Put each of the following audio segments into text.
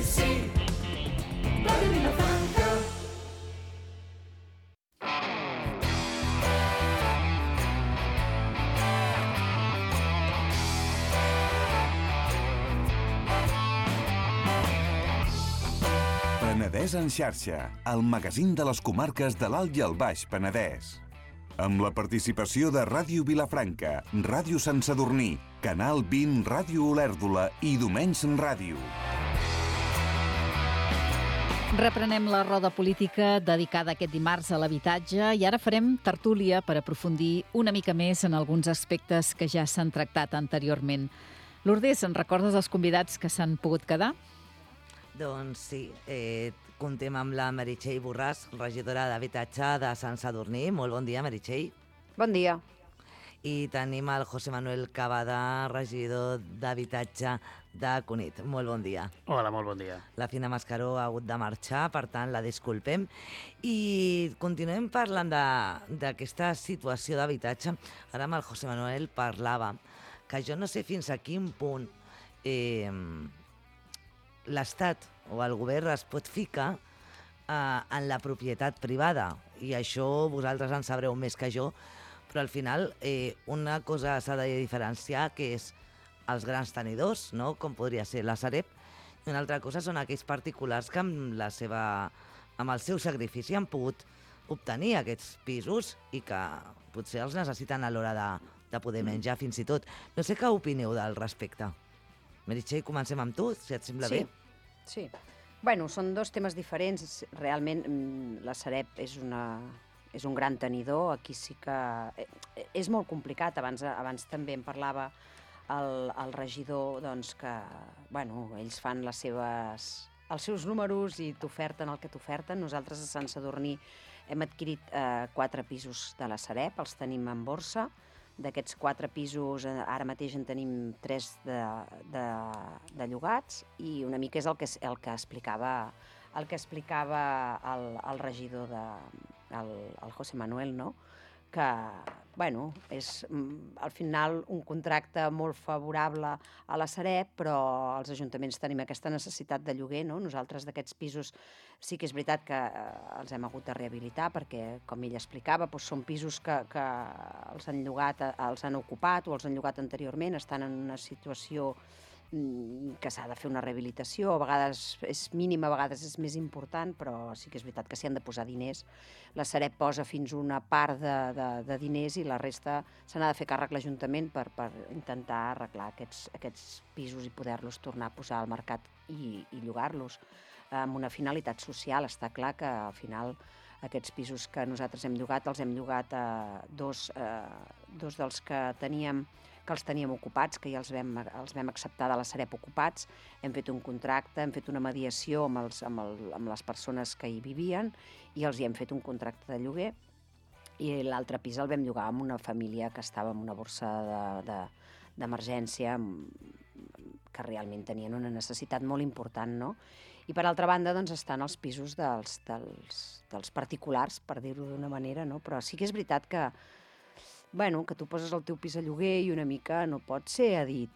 sí, Ràdio Vilafranca. Penedès en xarxa, el magazín de les comarques de l'Alt i el Baix Penedès. Amb la participació de Ràdio Vilafranca, Ràdio Sant Sadurní, Canal 20, Ràdio Olèrdola i Domenys Ràdio. Reprenem la roda política dedicada aquest dimarts a l'habitatge i ara farem tertúlia per aprofundir una mica més en alguns aspectes que ja s'han tractat anteriorment. Lourdes, en recordes els convidats que s'han pogut quedar? Doncs sí, comptem amb la Meritxell Borràs, regidora d'Habitatge de Sant Sadurní. Molt bon dia, Meritxell. Bon dia. I tenim el José Manuel Cavada, regidor d'Habitatge de Cunit. Molt bon dia. Hola, molt bon dia. La Fina Mascaró ha hagut de marxar, per tant, la disculpem. I continuem parlant d'aquesta situació d'habitatge. Ara amb el José Manuel parlava que jo no sé fins a quin punt l'Estat o el govern es pot ficar en la propietat privada, i això vosaltres en sabreu més que jo, però al final una cosa s'ha de diferenciar, que és els grans tenidors, no? Com podria ser la Sareb, i una altra cosa són aquells particulars que amb el seu sacrifici han pogut obtenir aquests pisos i que potser els necessiten a l'hora de poder menjar fins i tot. No sé què opineu del respecte. Meritxell, comencem amb tu, si et sembla bé. Sí. Bueno, són dos temes diferents. Realment, la Sareb és un gran tenidor. Aquí sí que és molt complicat. Abans també en parlava el regidor, doncs, que ells fan els seus números i t'oferten el que t'oferten. Nosaltres a Sant Sadurní hem adquirit 4 pisos de la Sareb, els tenim en borsa. D'aquests 4 pisos, ara mateix en tenim 3 de llogats, i una mica és el que explicava el regidor, el José Manuel, no? Que, és al final un contracte molt favorable a la Sareb, però els ajuntaments tenim aquesta necessitat de lloguer, no? Nosaltres d'aquests pisos sí que és veritat que els hem hagut de rehabilitar, perquè, com ell explicava, són pisos que els han ocupat o els han llogat anteriorment, estan en una situació que s'ha de fer una rehabilitació, a vegades és mínima, a vegades és més important, però sí que és veritat que s'hi han de posar diners. La Sareb posa fins una part de diners i la resta se n'ha de fer càrrec l'Ajuntament per intentar arreglar aquests pisos i poder-los tornar a posar al mercat i llogar-los amb una finalitat social. Està clar que al final aquests pisos que nosaltres hem llogat, els hem llogat a dos dels que els teníem ocupats, que ja els vam acceptar de la Sareb ocupats. Hem fet un contracte, hem fet una mediació amb les persones que hi vivien i els hi hem fet un contracte de lloguer, i l'altre pis el vam llogar amb una família que estava en una borsa d'emergència, que realment tenien una necessitat molt important, no? I per altra banda, doncs, estan els pisos dels particulars, per dir-ho d'una manera, no? Però sí que és veritat que tu poses el teu pis a lloguer i una mica no pot ser a dir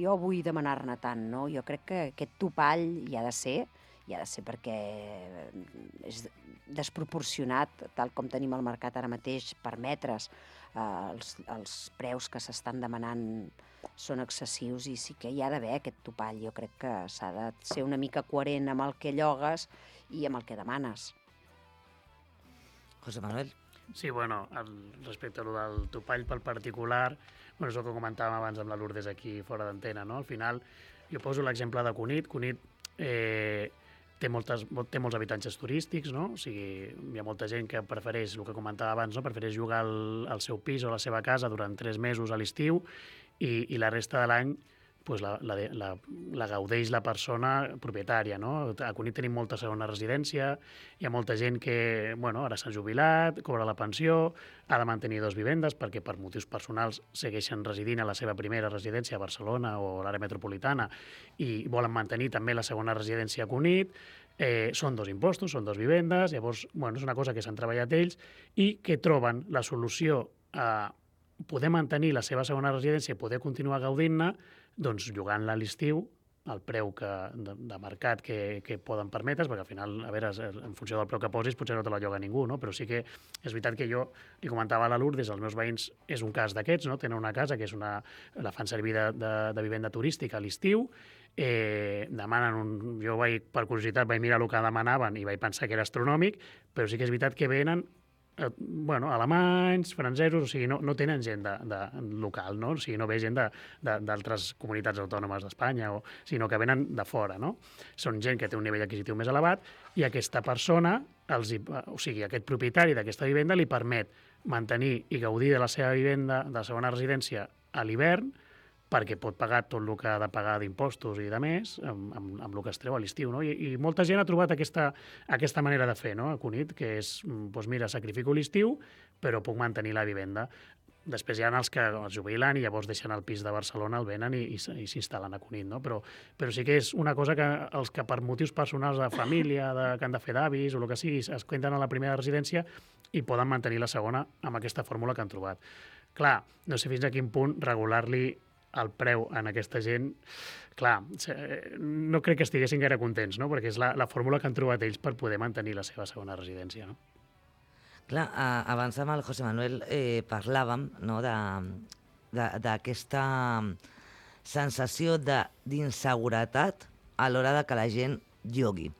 jo vull demanar-ne tant, no? Jo crec que aquest topall hi ha de ser perquè és desproporcionat, tal com tenim al mercat ara mateix, per metres. Els preus que s'estan demanant són excessius i sí que hi ha d'haver aquest topall. Jo crec que s'ha de ser una mica coherent amb el que llogues i amb el que demanes. José Manuel. Sí, respecte a lo del topall pel particular, és el que comentàvem abans amb la Lourdes aquí fora d'antena, no? Al final, jo poso l'exemple de Cunit. Cunit té molts habitatges turístics, no? O sigui, hi ha molta gent que prefereix, el que comentava abans, no? Prefereix jugar al seu pis o a la seva casa durant 3 mesos a l'estiu i la resta de l'any la gaudeix la persona propietària, no? A Cunit tenim molta segona residència, hi ha molta gent que ara s'ha jubilat, cobra la pensió, ha de mantenir 2 vivendes perquè per motius personals segueixen residint a la seva primera residència a Barcelona o a l'àrea metropolitana i volen mantenir també la segona residència a Cunit. Són 2 impostos, són 2 vivendes, llavors és una cosa que s'han treballat ells i que troben la solució a poder mantenir la seva segona residència i poder continuar gaudint-ne, doncs llogant-la a l'estiu el preu de mercat que poden permetre's, perquè al final, a veure, en funció del preu que posis, potser no te la lloga ningú, no? Però sí que és veritat que jo li comentava a la Lourdes, els meus veïns és un cas d'aquests, no? Tenen una casa que la fan servir de vivenda turística a l'estiu, demanen jo per curiositat vaig mirar el que demanaven i vaig pensar que era astronòmic, però sí que és veritat que venen alemanys, francesos, o sigui, no tenen gent de local, no? O sigui, no ve gent d'altres comunitats autònomes d'Espanya, sinó que venen de fora, no? Són gent que té un nivell adquisitiu més elevat i aquesta persona, o sigui, aquest propietari d'aquesta vivenda li permet mantenir i gaudir de la seva vivenda, de la segona residència a l'hivern, perquè pot pagar tot el que ha de pagar d'impostos i de més amb el que es treu a l'estiu, no? I molta gent ha trobat aquesta manera de fer, no?, a Cunit, que és, doncs mira, sacrifico l'estiu, però puc mantenir la vivenda. Després hi ha els que es jubilen i llavors deixen el pis de Barcelona, el venen i s'instal·len a Cunit, no? Però sí que és una cosa que els que per motius personals de família, que han de fer d'avis o el que sigui, es queden a la primera residència i poden mantenir la segona amb aquesta fórmula que han trobat. Clar, no sé fins a quin punt regular-li el preu en aquesta gent, clar, no crec que estiguessin gaire contents, no? Perquè és la fórmula que han trobat ells per poder mantenir la seva segona residència, no? Clar, abans amb el José Manuel parlàvem, no, d'aquesta sensació d'inseguretat a l'hora de que la gent llogui.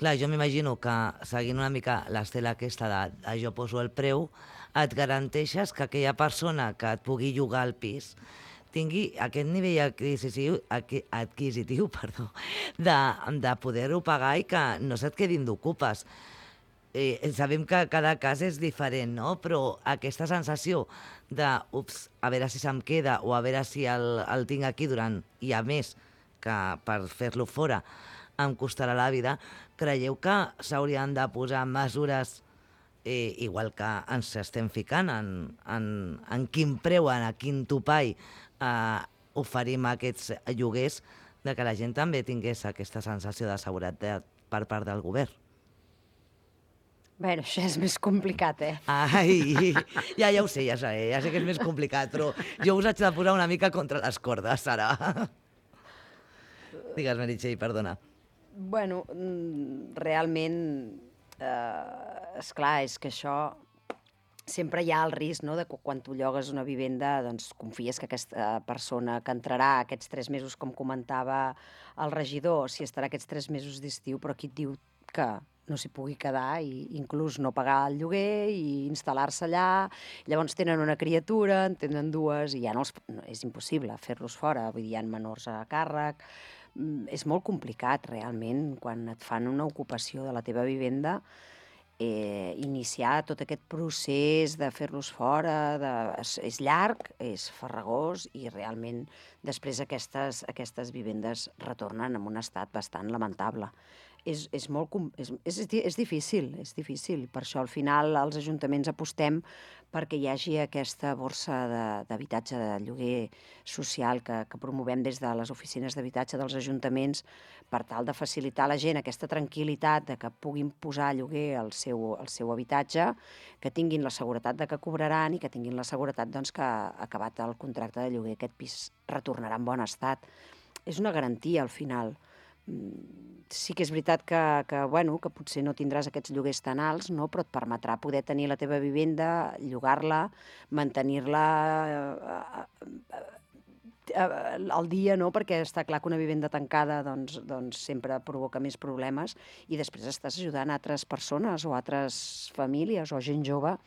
Clar, jo m'imagino que seguint una mica l'estela aquesta de jo poso el preu, et garanteixes que aquella persona que et pugui llogar el pis tingui aquest nivell adquisitiu de poder-ho pagar i que no se't quedin d'ocupes. Sabem que cada cas és diferent, no? Però aquesta sensació de, a veure si se'm queda o a veure si el tinc aquí durant, i a més, que per fer-lo fora em costarà la vida, creieu que s'haurien de posar mesures igual que ens estem ficant en quin preu, en quin topall oferim aquests lloguers, de que la gent també tingués aquesta sensació de seguretat per part del govern? Bé, això és més complicat, Ai, ja ho sé, ja sé que és més complicat, però jo us haig de posar una mica contra les cordes, ara. Digues, Meritxell, perdona. Bueno, realment, esclar, és que això sempre hi ha el risc, no?, de que quan tu llogues una vivenda doncs confies que aquesta persona que entrarà aquests 3 mesos, com comentava el regidor, si estarà aquests 3 mesos d'estiu, però aquí et diu que no s'hi pugui quedar i inclús no pagar el lloguer i instal·lar-se allà. Llavors tenen una criatura, en tenen 2 i ja és impossible fer-los fora, vull dir, hi ha menors a càrrec. És molt complicat, realment, quan et fan una ocupació de la teva vivenda, iniciar tot aquest procés de fer-los fora, és llarg, és farragós i realment després aquestes vivendes retornen en un estat bastant lamentable. És difícil, és difícil. Per això al final els ajuntaments apostem perquè hi hagi aquesta borsa d'habitatge de lloguer social que promovem des de les oficines d'habitatge dels ajuntaments per tal de facilitar a la gent aquesta tranquil·litat de que puguin posar a lloguer el seu habitatge, que tinguin la seguretat de que cobraran i que tinguin la seguretat doncs, que acabat el contracte de lloguer aquest pis retornarà en bon estat. És una garantia al final. Sí que és veritat que potser no tindràs aquests lloguers tan alts, no? Però et permetrà poder tenir la teva vivenda, llogar-la, mantenir-la al dia, no? Perquè està clar que una vivenda tancada doncs sempre provoca més problemes i després estàs ajudant altres persones o altres famílies o gent jove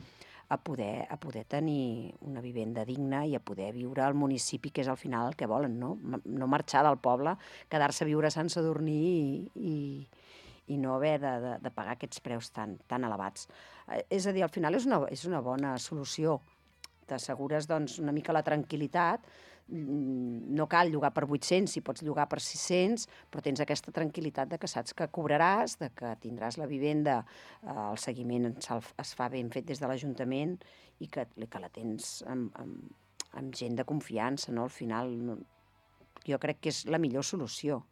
a poder tenir una vivenda digna i a poder viure al municipi, que és al final el que volen, no? No marxar del poble, quedar-se a viure a Sant Sadurní i no haver de pagar aquests preus tan elevats. És a dir, al final és una bona solució. T'assegures doncs, una mica la tranquil·litat. No cal llogar per 800, si pots llogar per 600, però tens aquesta tranquil·litat de que saps que cobraràs, de que tindràs la vivenda, el seguiment es fa ben fet des de l'Ajuntament i que la tens amb gent de confiança, no? Al final, jo crec que és la millor solució.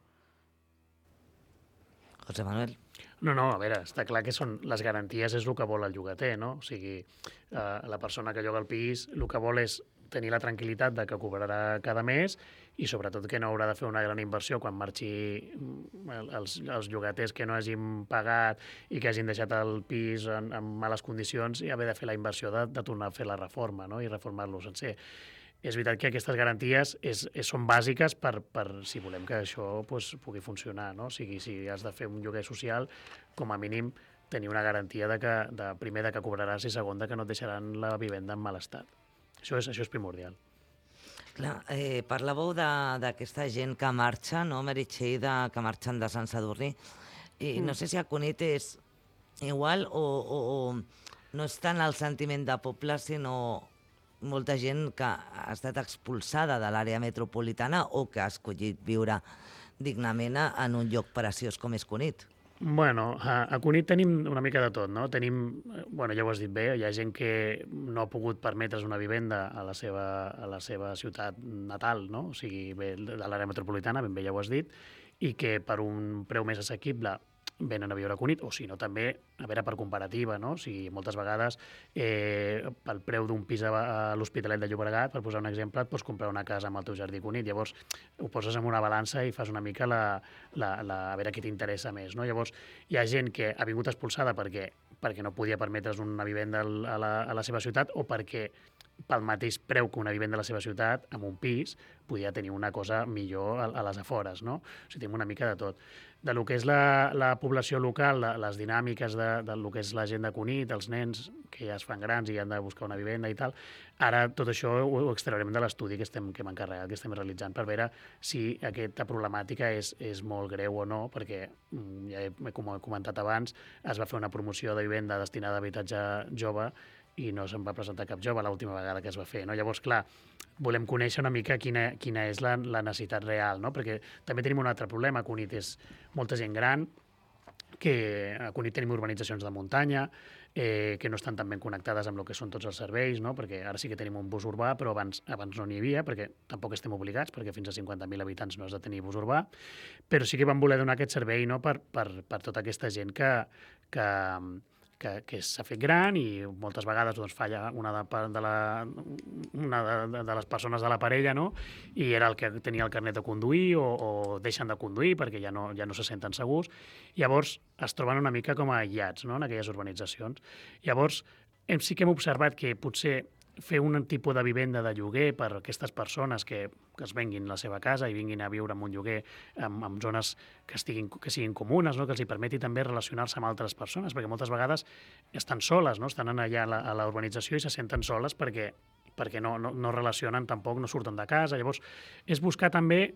José Manuel. No, a veure, està clar que són les garanties és el que vol el llogater, no? O sigui, la persona que lloga el pis el que vol és tenir la tranquil·litat de que cobrarà cada mes i sobretot que no haurà de fer una gran inversió quan marxi els llogaters que no hagin pagat i que hagin deixat el pis en males condicions i haver de fer la inversió de tornar a fer la reforma, no? I reformar-lo sencer. És veritat que aquestes garanties són bàsiques per si volem que això pugui funcionar, no? O sigui, si has de fer un lloguer social, com a mínim tenir una garantia primer de que cobraràs i segon de que no et deixaran la vivenda en mal estat. Això és primordial. Clar, parlàveu d'aquesta gent que marxa, no, Meritxell, que marxen de Sant Sadurní. No sé si a Cunit és igual o no és tant el sentiment de poble, sinó molta gent que ha estat expulsada de l'àrea metropolitana o que ha escollit viure dignament en un lloc preciós com és Cunit. Bueno, a Cunit tenim una mica de tot, no? Tenim, bueno, ja ho has dit bé, hi ha gent que no ha pogut permetre's una vivenda a la seva ciutat natal, no? O sigui, ve de l'àrea metropolitana, ben bé ja ho has dit, i que per un preu més assequible venen a viure a Cunit, o si no també, a veure, per comparativa, no? O sigui, moltes vegades pel preu d'un pis a l'Hospitalet de Llobregat, per posar un exemple, et pots comprar una casa amb el teu jardí Cunit, llavors ho poses en una balança i fas una mica a veure què t'interessa més, no? Llavors, hi ha gent que ha vingut expulsada perquè no podia permetre's una vivenda a la seva ciutat o perquè pel mateix preu que una vivenda a la seva ciutat, amb un pis, podia tenir una cosa millor a les afores, no? O sigui, tenim una mica de tot. De lo que és la població local, les dinàmiques de lo que és la gent de Cunit, els nens que ja es fan grans i han de buscar una vivenda i tal, ara tot això ho extraurem de l'estudi que hem encarregat, que estem realitzant, per veure si aquesta problemàtica és molt greu o no, perquè ja com he comentat abans, es va fer una promoció de vivenda destinada a habitatge jove i no se'n va presentar cap jove l'última vegada que es va fer, no? Llavors, clar, volem conèixer una mica quina és la necessitat real, no? Perquè també tenim un altre problema. A Cunit és molta gent gran, que a Cunit tenim urbanitzacions de muntanya, que no estan tan ben connectades amb el que són tots els serveis, no? Perquè ara sí que tenim un bus urbà, però abans no n'hi havia, perquè tampoc estem obligats, perquè fins a 50.000 habitants no has de tenir bus urbà, però sí que vam voler donar aquest servei, no? per tota aquesta gent que s'ha fet gran i moltes vegades doncs, falla una de les persones de la parella, no? I era el que tenia el carnet de conduir o deixen de conduir perquè ja no se senten segurs. Llavors es troben una mica com a aïllats, no? En aquelles urbanitzacions. Llavors sí que hem observat que potser fer un tipus de vivenda de lloguer per a aquestes persones que es venguin la seva casa i vinguin a viure en un lloguer en zones que siguin comunes, no? Que els hi permeti també relacionar-se amb altres persones, perquè moltes vegades estan soles, no? Estan allà a la urbanització i se senten soles perquè no relacionen tampoc, no surten de casa. Llavors, és buscar també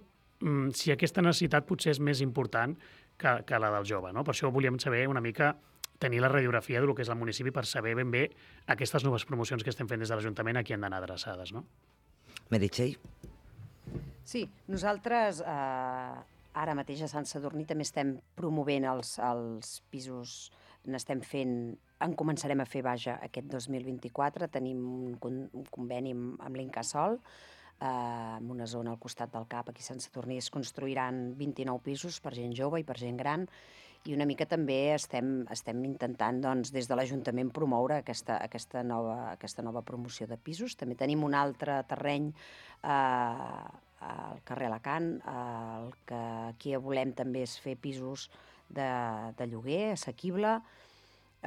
si aquesta necessitat potser és més important que la del jove, no? Per això volíem saber una mica tenir la radiografia del que és el municipi per saber ben bé aquestes noves promocions que estem fent des de l'Ajuntament a qui han d'anar adreçades, no? Meritxell? Sí, nosaltres ara mateix a Sant Sadurní també estem promovent els pisos, en començarem a fer, aquest 2024. Tenim un conveni amb l'Incasòl, en una zona al costat del CAP, aquí a Sant Sadurní, es construiran 29 pisos per gent jove i per gent gran, i una mica també estem intentant des de l'Ajuntament promoure aquesta nova promoció de pisos. També tenim un altre terreny al carrer Alacant, el que aquí volem també és fer pisos de lloguer assequible.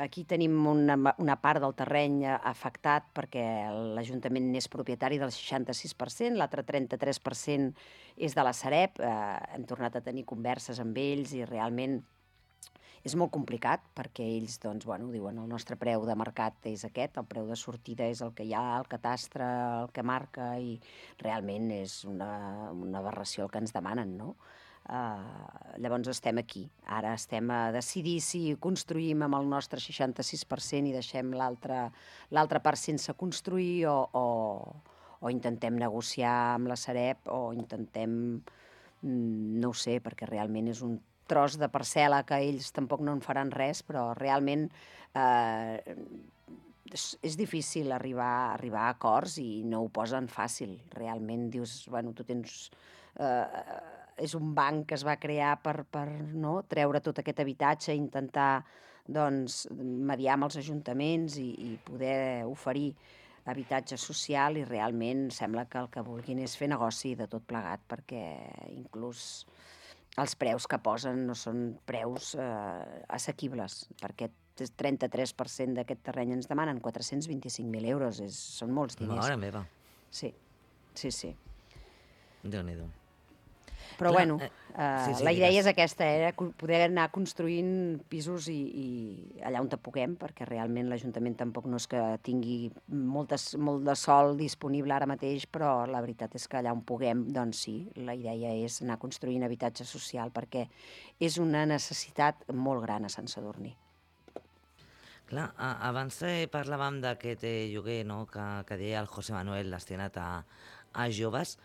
Aquí tenim una part del terreny afectat perquè l'Ajuntament n'és propietari del 66%, l'altre 33% és de la Sareb. Hem tornat a tenir converses amb ells i realment és molt complicat perquè ells diuen el nostre preu de mercat és aquest, el preu de sortida és el que hi ha, el catastre, el que marca, i realment és una aberració el que ens demanen, no? Llavors estem aquí. Ara estem a decidir si construïm amb el nostre 66% i deixem l'altre part sense construir o intentem negociar amb la Sareb o intentem, no ho sé, perquè realment és un tros de parcel·la que ells tampoc no en faran res, però realment és difícil arribar a acords i no ho posen fàcil. Realment dius, tu tens... És un banc que es va crear per treure tot aquest habitatge, intentar mediar amb els ajuntaments i poder oferir habitatge social i realment sembla que el que vulguin és fer negoci de tot plegat, perquè inclús els preus que posen no són preus assequibles, perquè el 33% d'aquest terreny ens demanen 425.000 euros, són molts diners. Mare meva. Sí, sí, sí. Déu-n'hi-do. Però Clar, bueno, sí, la idea digues. és aquesta, poder anar construint pisos i allà on te puguem, perquè realment l'Ajuntament tampoc no és que tingui molt de sol disponible ara mateix, però la veritat és que allà on puguem, doncs sí, la idea és anar construint habitatge social, perquè és una necessitat molt gran a Sant Sadurní. Clar, abans parlàvem d'aquest lloguer, no?, que deia el José Manuel, destinat a joves,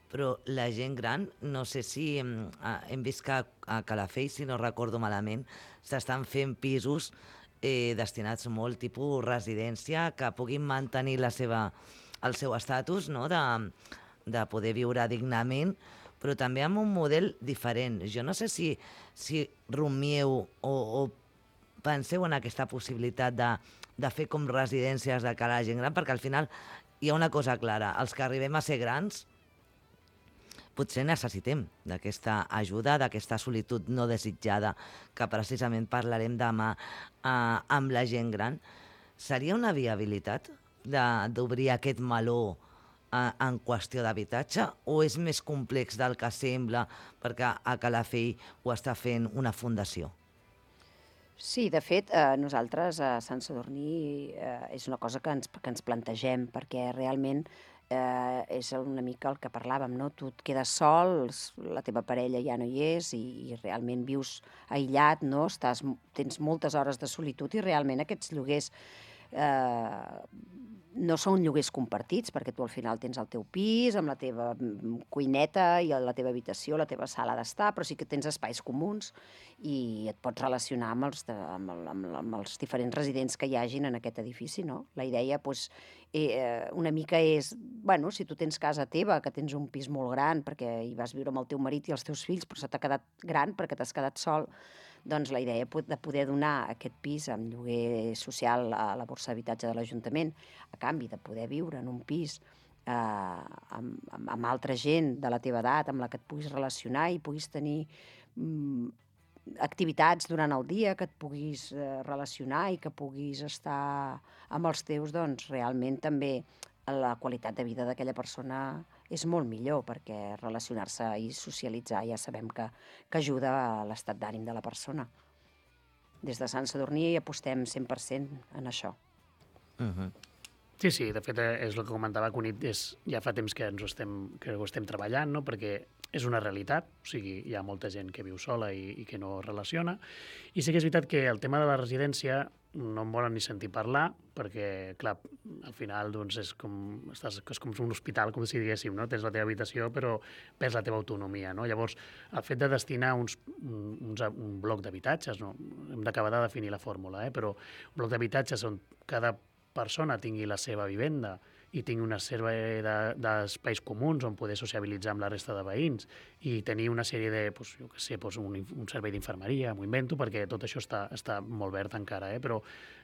però la gent gran, no sé si hem vist que a Calafell, si no recordo malament, s'estan fent pisos destinats molt tipus residència, que puguin mantenir el seu estatus, no?, de poder viure dignament, però també amb un model diferent. Jo no sé si rumieu o penseu en aquesta possibilitat de fer com residències de cara a la gent gran, perquè al final hi ha una cosa clara, els que arribem a ser grans potser necessitem d'aquesta ajuda, d'aquesta solitud no desitjada, que precisament parlarem demà amb la gent gran. Seria una viabilitat d'obrir aquest meló en qüestió d'habitatge, o és més complex del que sembla perquè a Calafell ho està fent una fundació? Sí, de fet, nosaltres a Sant Sadurní és una cosa que ens plantegem, perquè realment és una mica el que parlàvem, no? Tu et quedes sol, la teva parella ja no hi és i realment vius aïllat, no? Tens moltes hores de solitud i realment aquests lloguers no són lloguers compartits, perquè tu al final tens el teu pis amb la teva cuineta i la teva habitació, la teva sala d'estar, però sí que tens espais comuns i et pots relacionar amb els diferents residents que hi hagin en aquest edifici, no? La idea, doncs, una mica és, bueno, si tu tens casa teva, que tens un pis molt gran perquè hi vas viure amb el teu marit i els teus fills, però se t'ha quedat gran perquè t'has quedat sol, doncs la idea de poder donar aquest pis amb lloguer social a la borsa d'habitatge de l'Ajuntament, a canvi de poder viure en un pis amb altra gent de la teva edat, amb la que et puguis relacionar i puguis tenir activitats durant el dia, que et puguis relacionar i que puguis estar amb els teus, doncs realment també la qualitat de vida d'aquella persona és molt millor, perquè relacionar-se i socialitzar ja sabem que ajuda a l'estat d'ànim de la persona. Des de Sant Sadurní apostem 100% en això. Sí, de fet, és el que comentava Cunit, ja fa temps que ho estem treballant, no? Perquè és una realitat, o sigui, hi ha molta gent que viu sola i que no es relaciona, i sí que és veritat que el tema de la residència no en volen ni sentir parlar, perquè, clar, al final doncs, és com un hospital, com si diguéssim, no? Tens la teva habitació, però perds la teva autonomia, no? Llavors, el fet de destinar un bloc d'habitatges, no? Hem d'acabar de definir la fórmula, però un bloc d'habitatges on cada persona tingui la seva vivenda i tingui una sèrie d'espais comuns on poder sociabilitzar amb la resta de veïns i tenir una sèrie de, jo què sé, un servei d'infermeria, m'ho invento, perquè tot això està molt verd encara, però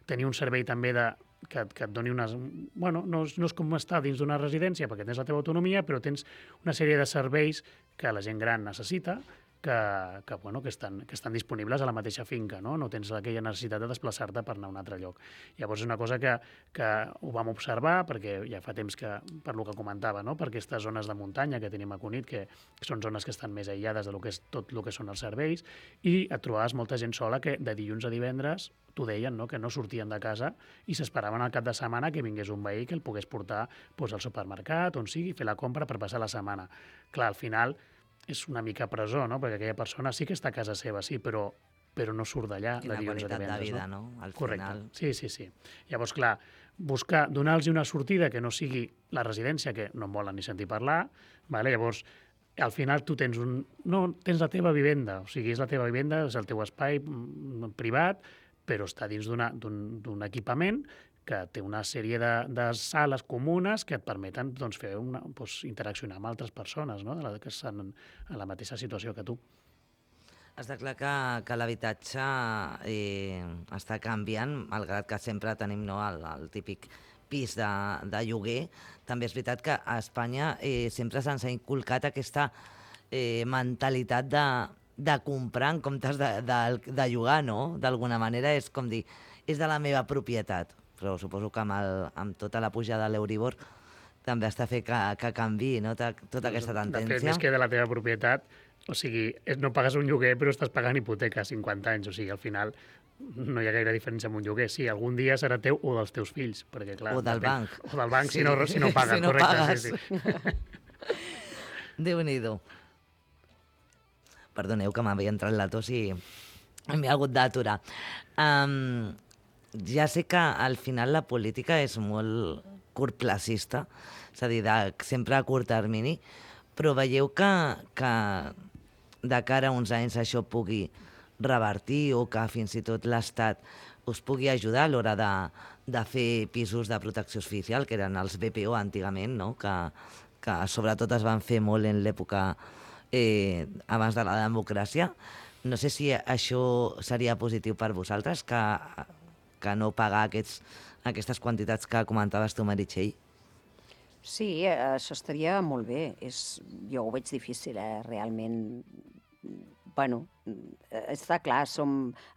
tenir un servei també que et doni unes... Bueno, no és com estar dins d'una residència perquè tens la teva autonomia, però tens una sèrie de serveis que la gent gran necessita, que estan disponibles a la mateixa finca, no? No tens aquella necessitat de desplaçar-te per anar a un altre lloc. Llavors és una cosa que ho vam observar, perquè ja fa temps que, per lo que comentava, no? Per aquestes zones de muntanya que tenim a Cunit, que són zones que estan més aïllades de tot el que són els serveis, i et trobaves molta gent sola que de dilluns a divendres t'ho deien, no? Que no sortien de casa i s'esperaven al cap de setmana que vingués un veí que el pogués portar al supermercat, on sigui, fer la compra per passar la setmana. Clar, al final és una mica presó, no? Perquè aquella persona sí que està a casa seva, sí, però no surt d'allà de dilluns a divendres. I la qualitat de vida, no? Al final... Sí. Llavors, clar, donar-los una sortida que no sigui la residència, que no en volen ni sentir parlar, vale? Llavors, al final tu tens tens la teva vivenda, o sigui, és la teva vivenda, és el teu espai privat, però està dins d'un equipament que té una sèrie de sales comunes que et permeten interaccionar amb altres persones, no? Que estan en la mateixa situació que tu. Està clar que l'habitatge està canviant, malgrat que sempre tenim el típic pis de lloguer, també és veritat que a Espanya sempre se'ns ha inculcat aquesta mentalitat de comprar en comptes de llogar, no? D'alguna manera és com dir, és de la meva propietat, però suposo que amb tota la pujada de l'Euribor també està fet que canviï, no? Tota aquesta tendència. De fet, més que de la teva propietat, o sigui, no pagues un lloguer però estàs pagant hipoteca a 50 anys, o sigui, al final no hi ha gaire diferència amb un lloguer. Sí, algun dia serà teu o dels teus fills, perquè clar... O del banc. O del banc, sí. si no pagues, Si no correcte, pagues. sí. Déu-n'hi-do. Perdoneu que m'havia entrat la tos i m'he hagut d'aturar. Ja sé que al final la política és molt curtplacista, és a dir, sempre a curt termini, però veieu que de cara a uns anys això pugui revertir o que fins i tot l'Estat us pugui ajudar a l'hora de fer pisos de protecció oficial, que eren els BPO antigament, no? Que sobretot es van fer molt en l'època abans de la democràcia. No sé si això seria positiu per vosaltres, que no pagar aquestes quantitats que comentaves tu, Meritxell. Sí, això estaria molt bé. Jo ho veig difícil, realment. Bueno, està clar,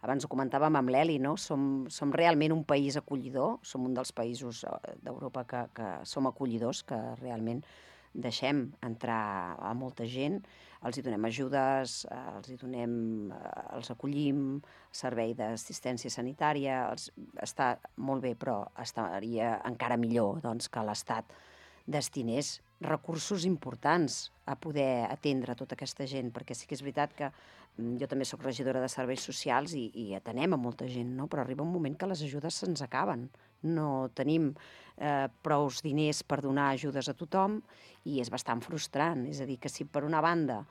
abans ho comentàvem amb l'Eli, no? Som realment un país acollidor, som un dels països d'Europa que som acollidors, que realment deixem entrar a molta gent, els hi donem ajudes, els acollim, servei d'assistència sanitària, està molt bé, però estaria encara millor doncs, que l'Estat destinés recursos importants a poder atendre tota aquesta gent, perquè sí que és veritat que jo també soc regidora de serveis socials i atenem a molta gent, no? Però arriba un moment que les ajudes se'ns acaben. No tenim prous diners per donar ajudes a tothom i és bastant frustrant. És a dir, que si per una banda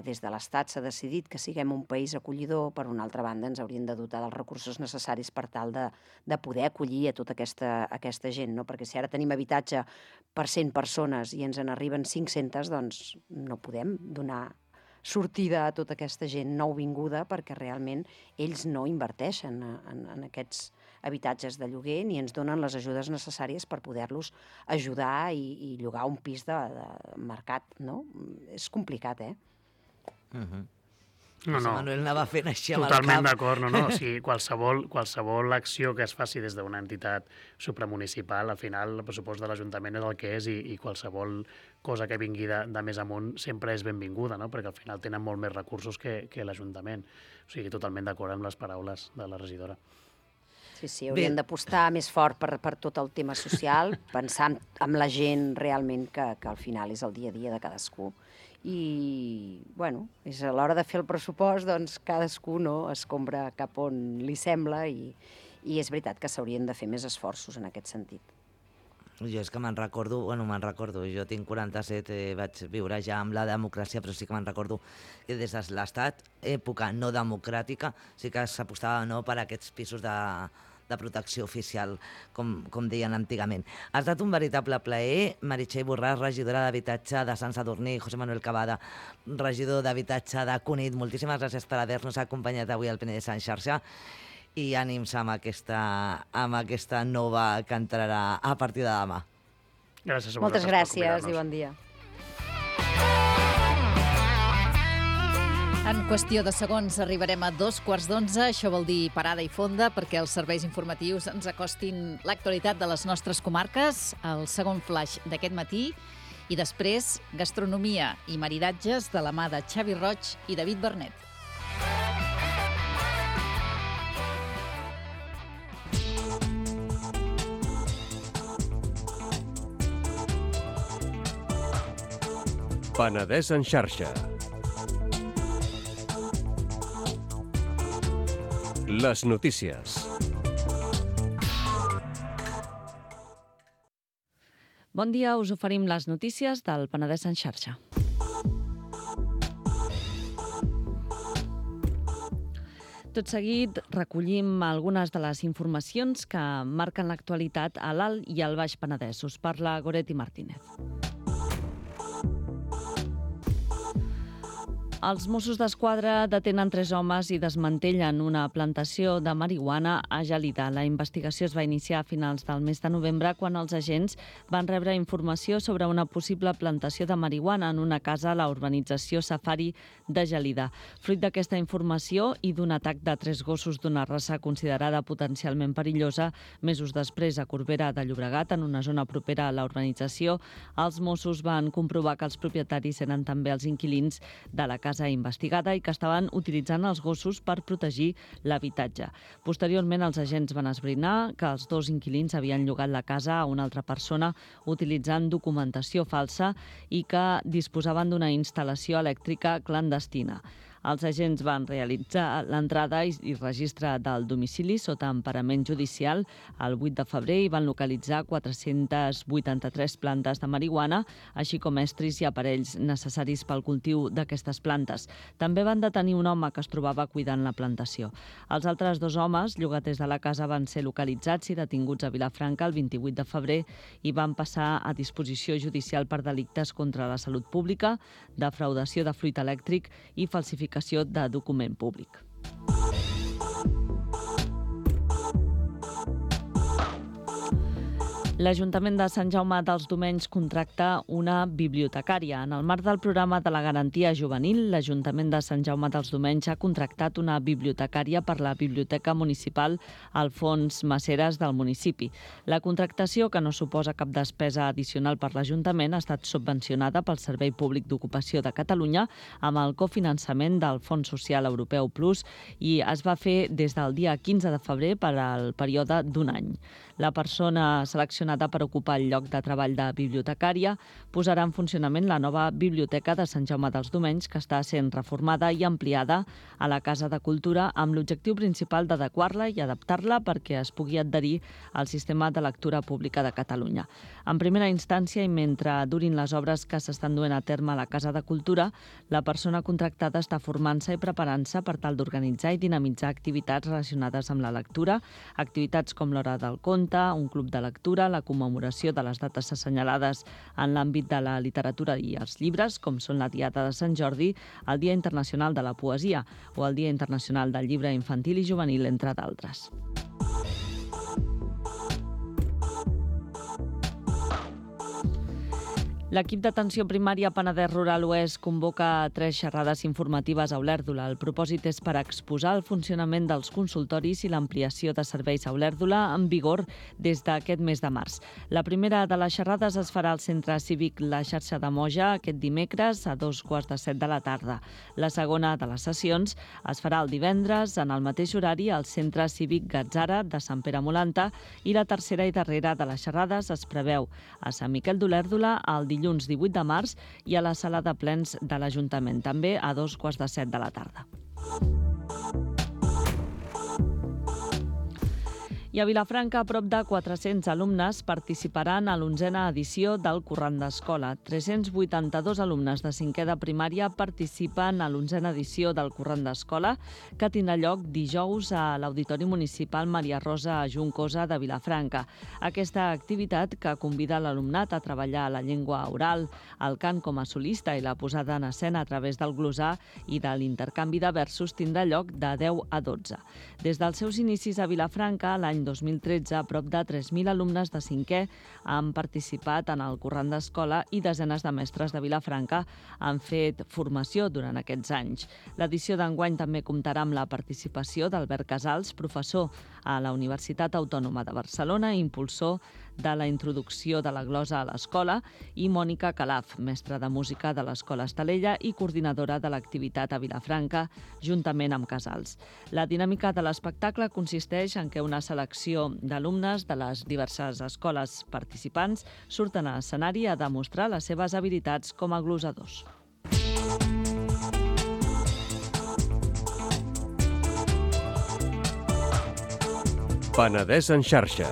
des de l'Estat s'ha decidit que siguem un país acollidor, per una altra banda ens haurien de dotar dels recursos necessaris per tal de poder acollir a tota aquesta gent, no? Perquè si ara tenim habitatge per 100 persones i ens en arriben 500, doncs no podem donar sortida a tota aquesta gent nouvinguda perquè realment ells no inverteixen en aquests habitatges de lloguer ni ens donen les ajudes necessàries per poder-los ajudar i llogar un pis de mercat, no? És complicat, No. Manuel anava fent així amb el cap. Totalment d'acord, no. O sigui, qualsevol acció que es faci des d'una entitat supramunicipal, al final el pressupost de l'Ajuntament és el que és i qualsevol cosa que vingui de més amunt sempre és benvinguda, no? Perquè al final tenen molt més recursos que l'Ajuntament. O sigui, totalment d'acord amb les paraules de la regidora. Sí, haurien d'apostar més fort per tot el tema social, pensar en la gent realment que al final és el dia a dia de cadascú. I, bueno, és a l'hora de fer el pressupost, doncs cadascú escombra cap on li sembla i és veritat que s'haurien de fer més esforços en aquest sentit. Jo és que me'n recordo, jo tinc 47, vaig viure ja amb la democràcia, però sí que me'n recordo que des de l'Estat, època no democràtica, sí que s'apostava per aquests pisos de protecció oficial, com deien antigament. Ha estat un veritable plaer. Meritxell Borràs, regidora d'Habitatge de Sant Sadurní, José Manuel Cavada, regidor d'Habitatge de Cunit, moltíssimes gràcies per haver-nos acompanyat avui al Penedès en xarxa i ànims amb aquesta nova que entrarà a partir de demà. Gràcies a vosaltres. Moltes gràcies i bon dia. En qüestió de segons arribarem a 11:15. Això vol dir parada i fonda perquè els serveis informatius ens acostin l'actualitat de les nostres comarques, el segon flash d'aquest matí, i després gastronomia i maridatges de la mà de Xavi Roig i David Bernet. Penedès en xarxa. Les notícies. Bon dia, us oferim les notícies del Penedès en xarxa. Tot seguit recollim algunes de les informacions que marquen l'actualitat a l'Alt i al Baix Penedès. Us parla Goretti Martínez. Els Mossos d'Esquadra detenen 3 homes i desmantellen una plantació de marihuana a Gelida. La investigació es va iniciar a finals del mes de novembre quan els agents van rebre informació sobre una possible plantació de marihuana en una casa a la urbanització Safari de Gelida. Fruit d'aquesta informació i d'un atac de 3 gossos d'una raça considerada potencialment perillosa, mesos després a Corbera de Llobregat, en una zona propera a la urbanització, els Mossos van comprovar que els propietaris eren també els inquilins de la casa investigada i que estaven utilitzant els gossos per protegir l'habitatge. Posteriorment, els agents van esbrinar que els 2 inquilins havien llogat la casa a una altra persona utilitzant documentació falsa i que disposaven d'una instal·lació elèctrica clandestina. Els agents van realitzar l'entrada i registre del domicili sota emparament judicial el 8 de febrer i van localitzar 483 plantes de marihuana, així com estris i aparells necessaris pel cultiu d'aquestes plantes. També van detenir un home que es trobava cuidant la plantació. Els altres 2 homes, llogaters de la casa, van ser localitzats i detinguts a Vilafranca el 28 de febrer i van passar a disposició judicial per delictes contra la salut pública, defraudació de fluid elèctric i falsificació de document públic. L'Ajuntament de Sant Jaume dels Domenys contracta una bibliotecària. En el marc del programa de la garantia juvenil, l'Ajuntament de Sant Jaume dels Domenys ha contractat una bibliotecària per la Biblioteca Municipal Alfons Maceres del municipi. La contractació, que no suposa cap despesa addicional per l'Ajuntament, ha estat subvencionada pel Servei Públic d'Ocupació de Catalunya amb el cofinançament del Fons Social Europeu Plus i es va fer des del dia 15 de febrer per al període d'un any. La persona seleccionada per ocupar el lloc de treball de bibliotecària posarà en funcionament la nova Biblioteca de Sant Jaume dels Domenys, que està sent reformada i ampliada a la Casa de Cultura amb l'objectiu principal d'adequar-la i adaptar-la perquè es pugui adherir al sistema de lectura pública de Catalunya. En primera instància i mentre durin les obres que s'estan duent a terme a la Casa de Cultura, la persona contractada està formant-se i preparant-se per tal d'organitzar i dinamitzar activitats relacionades amb la lectura, activitats com l'Hora del Conte, un club de lectura, la commemoració de les dates assenyalades en l'àmbit de la literatura i els llibres, com són la Diada de Sant Jordi, el Dia Internacional de la Poesia o el Dia Internacional del Llibre Infantil i Juvenil, entre d'altres. L'equip d'atenció primària Penedès Rural Oest convoca 3 xerrades informatives a Olèrdola. El propòsit és per exposar el funcionament dels consultoris i l'ampliació de serveis a Olèrdola en vigor des d'aquest mes de març. La primera de les xerrades es farà al Centre Cívic La Xarxa de Moja aquest dimecres a 2:15 de la tarda. La segona de les sessions es farà el divendres en el mateix horari al Centre Cívic Gatzara de Sant Pere Molanta i la tercera i darrera de les xerrades es preveu a Sant Miquel d'Olèrdola el dilluns 18 de març i a la sala de plens de l'Ajuntament, també a 2:15 de la tarda. I a Vilafranca, prop de 400 alumnes participaran a l'11a edició del Corrent d'Escola. 382 alumnes de 5è de primària participen a l'11a edició del Corrent d'Escola, que tindrà lloc dijous a l'Auditori Municipal Maria Rosa Juncosa de Vilafranca. Aquesta activitat, que convida l'alumnat a treballar la llengua oral, el cant com a solista i la posada en escena a través del glosar i de l'intercanvi de versos, tindrà lloc de 10 a 12. Des dels seus inicis a Vilafranca, l'any 2013, prop de 3.000 alumnes de 5è han participat en el Corrent d'Escola i desenes de mestres de Vilafranca han fet formació durant aquests anys. L'edició d'enguany també comptarà amb la participació d'Albert Casals, professor a la Universitat Autònoma de Barcelona i impulsor de la introducció de la glosa a l'escola, i Mònica Calaf, mestra de música de l'Escola Estalella i coordinadora de l'activitat a Vilafranca, juntament amb Casals. La dinàmica de l'espectacle consisteix en que una selecció d'alumnes de les diverses escoles participants surten a l'escenari a demostrar les seves habilitats com a glosadors. Penedès en xarxa.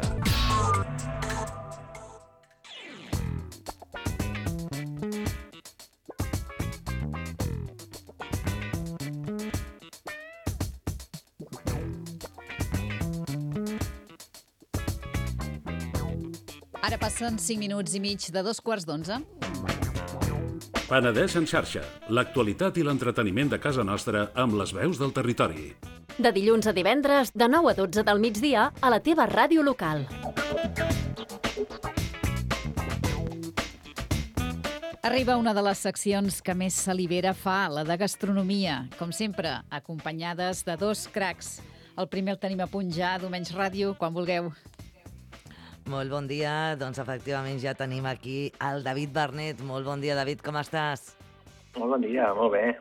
Ara passen 5 minuts i mig de 2:15. Penedès en xarxa, l'actualitat i l'entreteniment de casa nostra amb les veus del territori. De dilluns a divendres, de 9 a 12 del migdia, a la teva ràdio local. Arriba una de les seccions que més salivera fa, la de gastronomia. Com sempre, acompanyades de dos cracs. El primer el tenim a punt ja, Domenys Ràdio, quan vulgueu. Molt bon dia. Doncs efectivament ja tenim aquí el David Bernet. Molt bon dia, David, com estàs? Molt bon dia, molt bé.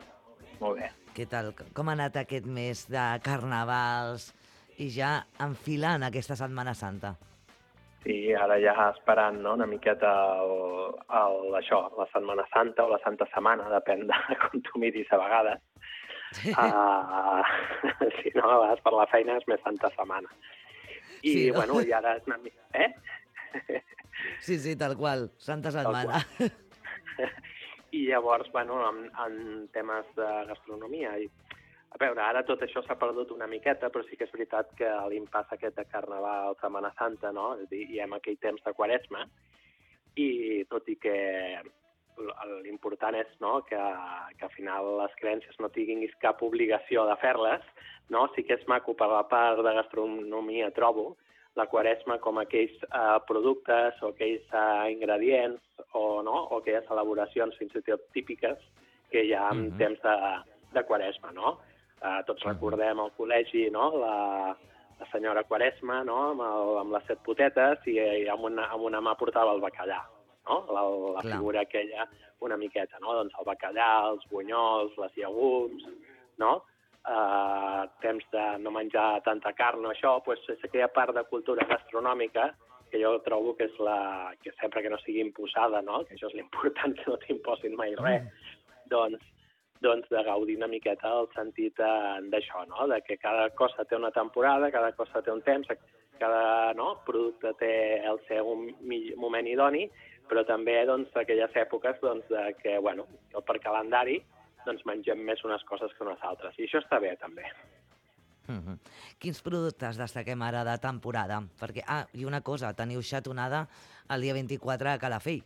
Molt bé. Què tal? Com ha anat aquest mes de carnavals i ja enfilant aquesta Setmana Santa? Sí, ara ja esperant, no?, una miqueta això, la Setmana Santa o la Santa Setmana, depèn de com tu miris a vegades. Si no, a vegades per la feina és més Santa Setmana. I, sí, no? Bueno, i ara és una mica... Sí, tal qual, Santa Setmana. I llavors, bueno, en temes de gastronomia, a veure, ara tot això s'ha perdut una miqueta, però sí que és veritat que l'impàs aquest de Carnaval, Setmana Santa, no?, és a dir, hi hem aquell temps de Quaresma, i tot i que l'important és, no?, que al final les creences no tinguis cap obligació de fer-les, no? Sí que és maco per la part de gastronomia, trobo, la Quaresma com aquells productes o aquells ingredients o aquelles elaboracions fins i tot típiques que hi ha en temps de Quaresma, no? Tots recordem al col·legi, no?, la senyora Quaresma, no?, amb les 7 potetes i amb una mà portava el bacallà, no? La figura aquella una miqueta, no? Doncs el bacallà, els bunyols, les llegums, no? Temps de no menjar tanta carn o això, doncs és aquella part de cultura gastronòmica que jo trobo que és que sempre que no sigui imposada, no?, que això és l'important, que no t'imposin mai res, doncs de gaudir una miqueta el sentit d'això, no?, de que cada cosa té una temporada, cada cosa té un temps, cada producte té el seu moment idoni, però també doncs, aquelles èpoques doncs, que, bueno, per calendari, doncs mengem més unes coses que unes altres. I això està bé, també. Quins productes destaquem ara de temporada? Perquè, i una cosa, teniu xatonada el dia 24 a Calafell.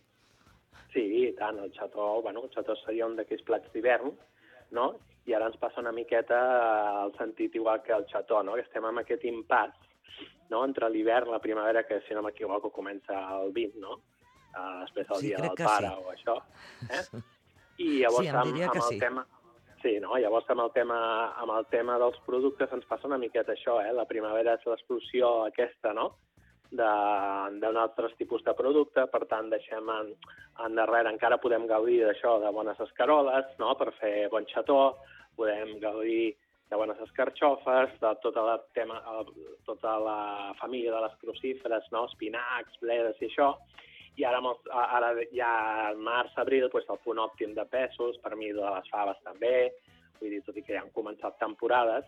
Sí, i tant. El xató seria un d'aquells plats d'hivern, no? I ara ens passa una miqueta el sentit igual que el xató, no? Que estem amb aquest impàs, no?, entre l'hivern i la primavera, que, si no m'equivoco, comença el 20, no? Després del dia del pare o això. I llavors amb el tema... Sí, no? Llavors amb el tema dels productes ens passa una miqueta això, La primavera és l'explosió aquesta, no?, d'un altres tipus de producte, per tant deixem endarrere, encara podem gaudir d'això, de bones escaroles, no?, per fer bon xató, podem gaudir de bones escarxofes, de tota la família de les crucíferes, no?, espinacs, bledes i això. I ara ja al març, abril, el punt òptim de pèsols, per mi de les faves també, vull dir, tot i que ja han començat temporades,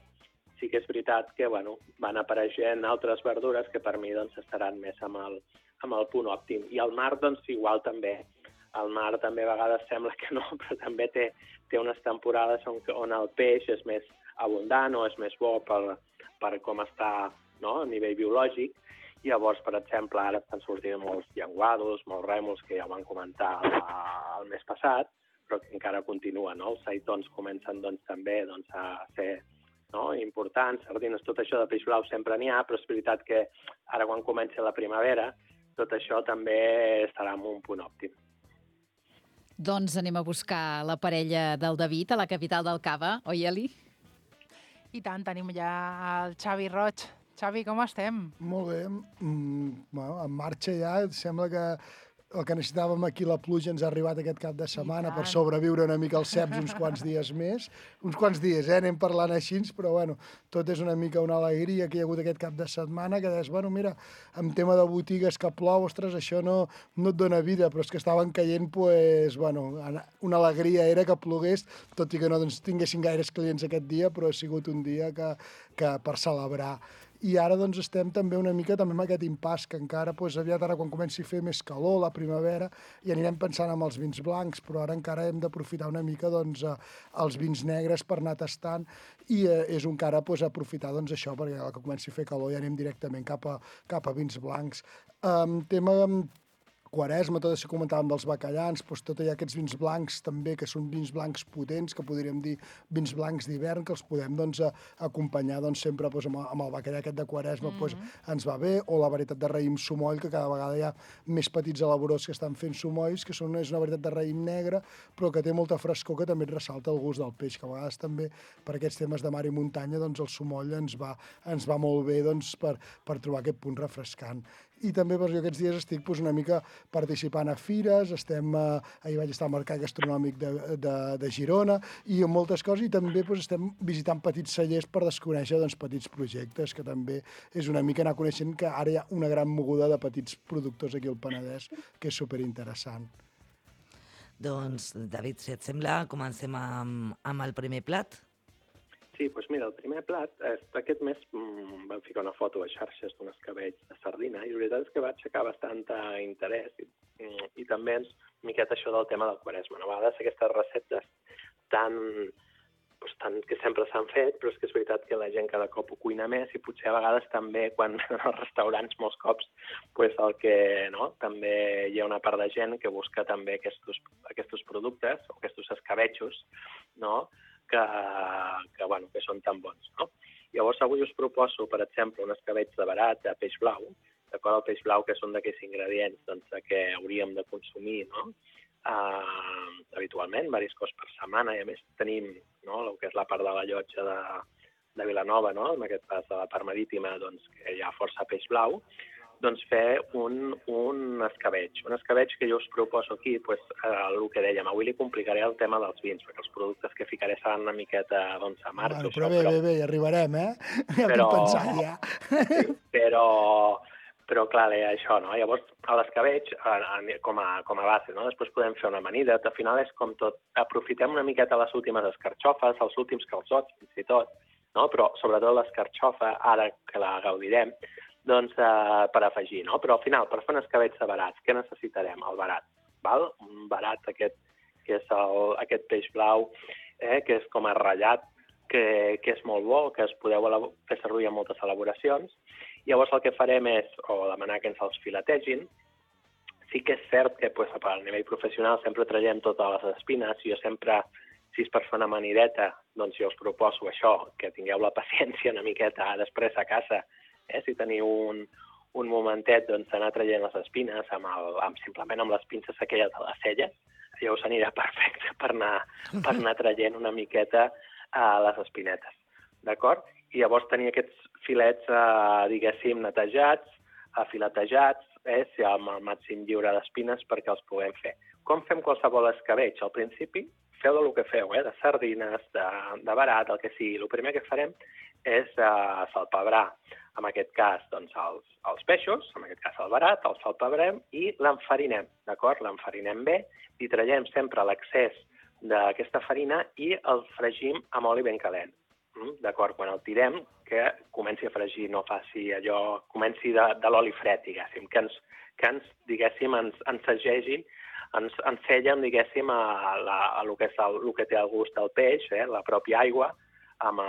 sí que és veritat que van apareixent altres verdures que per mi estaran més amb el punt òptim. I el mar, igual també. El mar també a vegades sembla que no, però també té unes temporades on el peix és més abundant o és més bo per com està, no?, a nivell biològic. Llavors, per exemple, ara estan sortint molts llenguados, molts rèmols, que ja ho van comentar el mes passat, però que encara continuen, no? Els seitons comencen també a ser importants, sardines, tot això de peix blau sempre n'hi ha, però és veritat que ara quan comenci la primavera tot això també estarà en un punt òptim. Doncs anem a buscar la parella del David a la capital del Cava, oi, Eli? I tant, tenim ja el Xavi Roig. Xavi, com estem? Molt bé. En marxa ja. Sembla que el que necessitàvem aquí, la pluja, ens ha arribat aquest cap de setmana per sobreviure una mica als ceps uns quants dies més. Uns quants dies, anem parlant així, però bueno, tot és una mica una alegria que hi ha hagut aquest cap de setmana, que deies, bueno, mira, en tema de botigues que plou, ostres, això no et dona vida, però és que estaven caient, pues, bueno, una alegria era que plogués, tot i que no tinguessin gaires clients aquest dia, però ha sigut un dia que per celebrar. I ara doncs estem també una mica també amb aquest impàs, que encara aviat ara quan comenci a fer més calor, la primavera, i anirem pensant en els vins blancs, però ara encara hem d'aprofitar una mica els vins negres per anar tastant, i és un que ara aprofitar això, perquè que comenci a fer calor ja anem directament cap a vins blancs. Tema Quaresma, tot això que comentàvem dels bacallans, doncs tot allà aquests vins blancs també, que són vins blancs potents, que podríem dir vins blancs d'hivern, que els podem acompanyar sempre amb el bacallà aquest de Quaresma, ens va bé, o la varietat de raïm sumoll, que cada vegada hi ha més petits elaboradors que estan fent sumolls, que és una varietat de raïm negre, però que té molta frescor, que també et ressalta el gust del peix, que a vegades també per aquests temes de mar i muntanya el sumoll ens va molt bé per trobar aquest punt refrescant. I també jo aquests dies estic una mica participant a fires, ahir vaig estar al Mercat Gastronòmic de Girona i en moltes coses, i també estem visitant petits cellers per desconèixer petits projectes, que també és una mica anar coneixent que ara hi ha una gran moguda de petits productors aquí al Penedès, que és superinteressant. Doncs, David, si et sembla, comencem amb el primer plat. Sí, doncs mira, el primer plat, aquest mes vam ficar una foto a xarxes d'un escabetx de sardina i la veritat és que va aixecar bastant interès i també una miqueta això del tema del Quaresma. A vegades aquestes receptes que sempre s'han fet, però és que és veritat que la gent cada cop ho cuina més i potser a vegades també quan als restaurants molts cops el que també hi ha una part de gent que busca també aquests productes o aquests escabetxos, que són tan bons. Llavors, avui us proposo, per exemple, un escabetx de verat de peix blau, d'acord? El peix blau, que són d'aquells ingredients que hauríem de consumir habitualment, diversos cops per setmana, i a més tenim el que és la part de la llotja de Vilanova, en aquest cas de la part marítima, que hi ha força peix blau, fer un escabetx. Un escabetx que jo us proposo aquí, el que dèiem, avui li complicaré el tema dels vins, perquè els productes que ficaré seran una miqueta amargs. Però bé, hi arribarem, Ja ho tinc pensat, ja. Però clar, això, Llavors, l'escabetx, com a base, després podem fer una amanida, al final és com tot, aprofitem una miqueta les últimes escarxofes, els últims calçots, fins i tot, però sobretot l'escarxofa, ara que la gaudirem, per afegir, Però al final, per fer un escabetx de verats, què necessitarem? El verat, val? Un verat aquest, que és aquest peix blau, que és com a ratllat, que és molt bo, que es podeu fer servir en moltes elaboracions. Llavors el que farem és demanar que ens els filetegin. Sí que és cert que a nivell professional sempre traiem totes les espines. Jo sempre, si és per fer una amanideta, jo us proposo això, que tingueu la paciència una miqueta després a casa, si teniu un momentet d'anar traient les espines simplement amb les pinces aquelles de les celles, ja us anirà perfecte per anar traient una miqueta les espinetes, d'acord? I llavors tenir aquests filets, diguéssim, netejats, filetejats, amb el màxim lliure d'espines perquè els puguem fer. Com fem qualsevol escabetx? Al principi, feu del que feu, de sardines, de verat, el que sigui. El primer que farem és salpebrar, en aquest cas, els peixos, en aquest cas el verat, el salpebrem i l'enfarinem, d'acord? L'enfarinem bé i traiem sempre l'excés d'aquesta farina i el fregim amb oli ben calent, d'acord? Quan el tirem, que comenci a fregir, no faci allò, comenci de l'oli fred, diguéssim, que ens diguéssim, ens segegin, ens sellen, diguéssim, el que té el gust del peix, la pròpia aigua, amb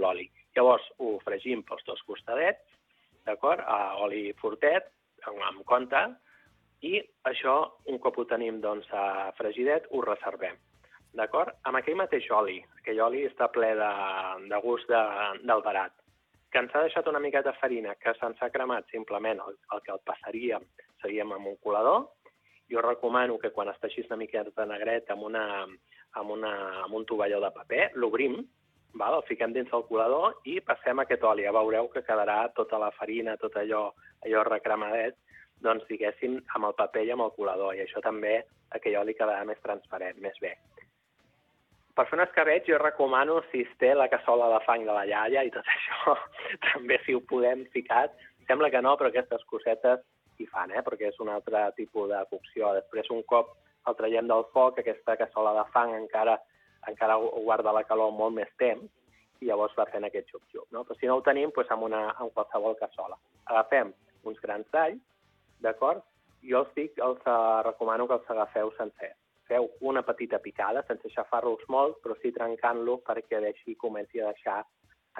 l'oli. Llavors ho fregim pels dos costadets, d'acord? A oli fortet, amb compte, i això, un cop ho tenim fregidet, ho reservem, d'acord? Amb aquell mateix oli, aquell oli està ple de gust del verat, que ens ha deixat una miqueta de farina, que se'ns ha cremat simplement el que el passaríem, seríem amb un colador. Jo recomano que quan està així una miqueta negret amb un tovalló de paper, l'obrim, el fiquem dins el colador i passem aquest oli. Ja veureu que quedarà tota la farina, tot allò recremadet, diguéssim, amb el paper i amb el colador. I això també, aquell oli quedarà més transparent, més bé. Per fer un escabetx jo recomano, si es té la cassola de fang de la iaia i tot això, també si ho podem ficar. Sembla que no, però aquestes cosetes hi fan, perquè és un altre tipus de cocció. Després, un cop el traiem del foc, aquesta cassola de fang encara guarda la calor molt més temps i llavors va fent aquest xup-xup. Però si no ho tenim, amb qualsevol cassola. Agafem uns grans d'all, d'acord? Jo els recomano que els agafeu sencers. Feu una petita picada, sense aixafar-los molt, però sí trencant-lo perquè així comenci a deixar